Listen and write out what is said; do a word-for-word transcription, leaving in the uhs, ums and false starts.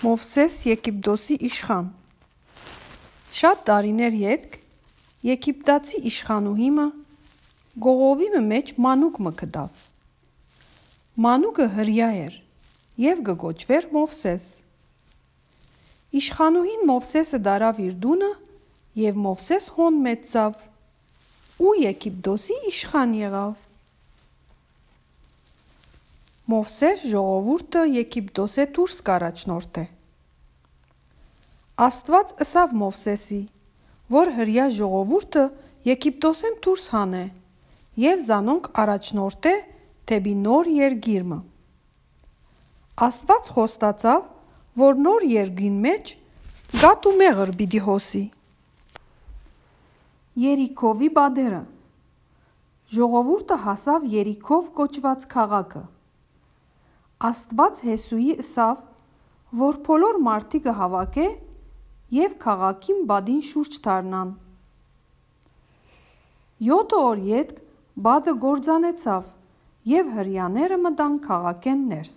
Մովսէս Եգիպտոսի իշխան։ Շատ տարիներ ետք Եգիպտացի իշխանուհի մը կողովի մը մէջ մանուկ մը գտաւ։ Մանուկը հրեայ էր եւ կը կոչուէր Մովսէս։ Իշխանուհին Մովսէսը տարաւ իր տունը եւ Մովսէս հոն մեծցաւ ու Եգիպտոսի իշխան եղաւ։ Մովսէս ժողովուրդը Եգիպտոսէ դուրս կ'առաջնորդէ։ Աստուած ըսաւ Մովսէսի, որ հրեայ ժողովուրդը Եգիպտոսէն դուրս հանէ եւ զանոնք առաջնորդէ դէպի նոր երկիր մը։ Աստուած խոստացաւ, որ նոր երկրին մէջ կաթ ու մեղր պիտի հոսի։ Երիքովի պատերը։ Ժողովուրդը հասաւ Երիքով կոչուած քաղաքը։ Աստուած Յեսուի ըսաւ, որ բոլոր մարդիկը կը հաւաքէ եւ քաղաքին պատին շուրջ դառնան։ Եօթը օր ետք պատը կործանեցաւ եւ հրեաները մտան քաղաքէն ներս։